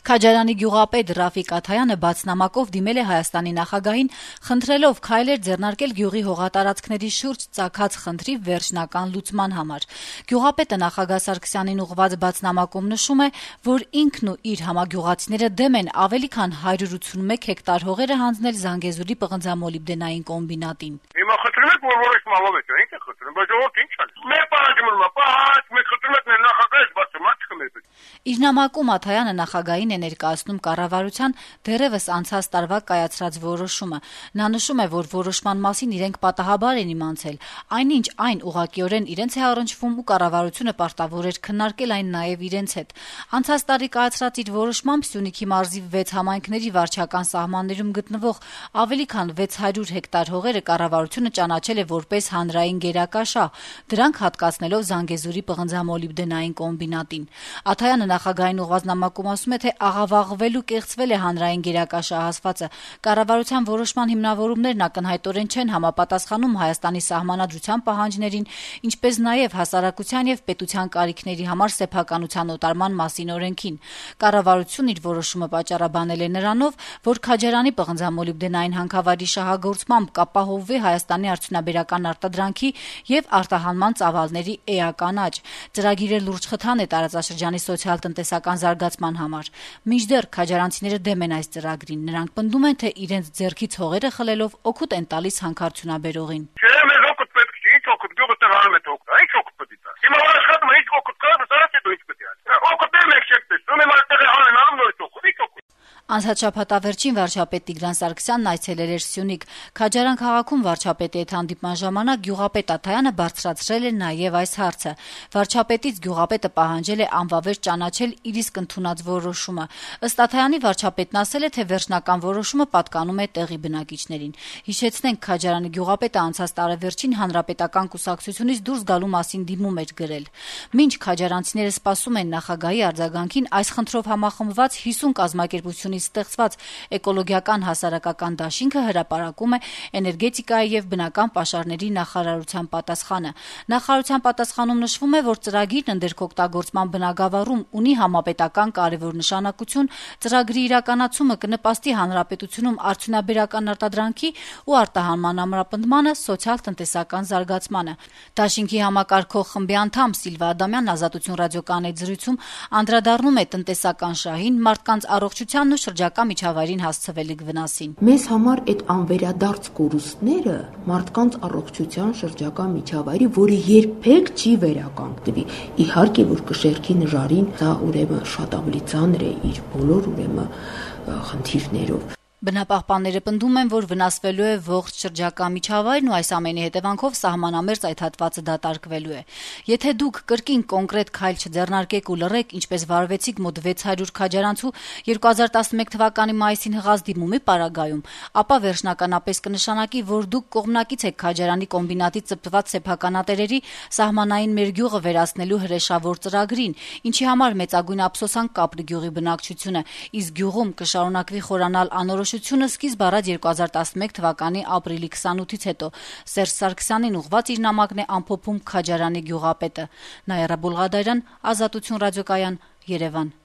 Քաջարանի գյուղապետ Ռաֆիկ Աթայանը բաց նամակով դիմել է Հայաստանի նախագահին, խնդրելով քայլեր ձեռնարկել գյուղի հողատարածքների շուրջ ծագած խնդրի վերջնական լուծման համար։ Գյուղապետը նախագահ Սարգսյանին ուղղված բաց նամակում նշում է, որ ինքն ու իր համագյուղացիները դեմ են ավելի քան 181 հեկտար հողերը հանձնել Զանգեզուրի պղնձամոլիբդենային կոմբինատին։ Հիմա խնդրում եք, որ որոշմալով եք, ինչ է խնդրում, բայց ժողովուրդ ինչ անի։ Մեր պարագիմում է, պահաց, մենք խնդրում ենք նախագահից բացում, չկմերբեք։ Իր նամակում Աթայանը նախագահին է ներկայացնում կառավարության դեռևս անցած տարվա կայացրած որոշումը։ Նա նշում է, որ որոշման մասին իրենք պատահաբար են իմացել, այնինչ այն ուղղակիորեն իրենց է առնչվում ու կառավարությունը պարտավոր էր քննարկել այն նաև իրենց հետ։ Անցած տարի կայացրած իր որոշմամբ Սյունիքի մարզի 6 համայնքների վարչական սահմաններում գտնվող ավելի քան 600 հեկտար հողերը կառավարությունը ճանաչել է որպես հանրային գերակաշահ, դրանք հատկացնելով Զանգեզուրի պղնձամոլիբդենային կոմբինատին։ Աթայանը նախագահային ուղղված նամակում ասում է, թե աղավաղվել ու կեղծվել է հանրային գերակաշահ ասվածը։ Կառավարության որոշման հիմնավորումներն ակնհայտորեն չեն համապատասխանում Հայաստանի սահմանադրության պահանջներին, ինչպես նաև հասարակության եւ պետության կարիքների համար սեփականության օտարման մասին օրենքին։ Կառավարությունն իր որոշումը պատճառաբանել է նրանով, որ Քաջարանի պղնձամոլիբդենային հանքավայրի շահագործմամբ կապահովվի Հայաստանի արդյունաբերական արտադրանքի եւ արտահանման ծավալների էական աճ։ Ծրագիրը լուրջ խթան է տարածաշրջանի սոցիալ-տնտեսական զարգացման համար։ Մինչդեռ քաջարանցիները դեմ են այս ծրագրին։ Նրանք պնդում են, թե իրենց ձեռքից հողերը խլելով օգուտ են տալիս հանքարդյունաբերողին։ Չէ, մեզ օգուտ պետք չի, ինչ օգուտ, գյուղը տեղանում է օգուտ, ինչ օգուտ պետք է։ Հիմա աշխատում է, ինչ օգուտ կա, սարած է դու ինչ պետք է։ Օգուտ եմ եք չեք տեսնում, իմ այդտեղ հալեն անում նորից օգուտ, ինչ օգուտ։ Անցած շաբաթավերջին վարչապետ Տիգրան Սարգսյանն այցելել էր Սյունիք։ Քաջարան քաղաքում վարչապետի հետ հանդիպման ժամանակ գյուղապետ Աթայանը բարձրացրել է նաև այս հարցը։ Վարչապետից գյուղապետը պահանջել է անվավեր ճանաչել իր իսկ ընդունած որոշումը։ Ըստ Աթայանի վարչապետն ասել է, թե վերջնական որոշումը պատկանում է տեղի բնակիչներին։ Հիշեցնենք, Քաջարանի գյուղապետը անցած տարեվերջին հանրապետական կուսակցությունից դուրս գալու մասին դիմում էր գրել։ Մինչ քաջարանցիները սպասում են նախագահի արձագանքին, այս խնդրով համախմբված 50 կազմակերպությունից ստեղծված էկոլոգիական հասարակական դաշինքը հրապարակում է էներգետիկայի եւ բնական պաշարների նախարարության պատասխանը։ Նախարարության պատասխանում նշվում է, որ ծրագիրն ընդերքօգտագործման բնագավառում ունի համապետական կարևոր նշանակություն, ծրագրի իրականացումը կնպաստի հանրապետությունում արդյունաբերական արտադրանքի ու արտահանման ամրապնդմանը, սոցիալ-տնտեսական զարգացմանը։ Դաշինքի համակարգող խմբի անդամ Սիլվա Ադամյանն Ազատություն ռադիոկայանի զրույցում անդրադառնում է տնտեսական շահին, մարդկանց առողջությանն ու շրջակա միջավայրին հասցվելիք վնասին։ Մեզ համար այդ անվերադարձ կորուստները մարդկանց առողջության, շրջակա միջավայրի, որը երբեք չի վերականգնվի։ Իհարկե, որ կշեռքի նժարին դա ուրեմն շատ ավելի ծանր է իր բոլոր խնդիրներով։ Բնապահպանները պնդում են, որ վնասվելու է ողջ շրջակա միջավայրն ու այս ամենի հետևանքով սահմանամերձ այդ հատվածը դատարկվելու է։ Եթե դուք կրկին կոնկրետ քայլ չձեռնարկեք ու լռեք, ինչպես վարվեցիք մոտ 600 քաջարանցու 2011 թվականի մայիսին հղած դիմումի պարագայում, ապա վերջնականապես կնշանակի, որ դուք կողմնակից եք Քաջարանի կոմբինատի ծպված սեփականատերերի սահմանային մեր գյուղը վերացնելու հրեշավոր ծրագրին, ինչի համար մեծագույն ափսոսանք կապրի գյուղի բնակչությունը, իսկ գյուղում կշարունակվի խորանալ անորոշությունը սկիզբ առած 2011 թվականի ապրիլի 28-ից հետո։ Սերժ Սարգսյանին ուղղված իր նամակն է ամփոփում Քաջարանի գյուղապետը։ Նաիրա Բուլղադարյան, Ազատություն ռադիոկայան, Երևան։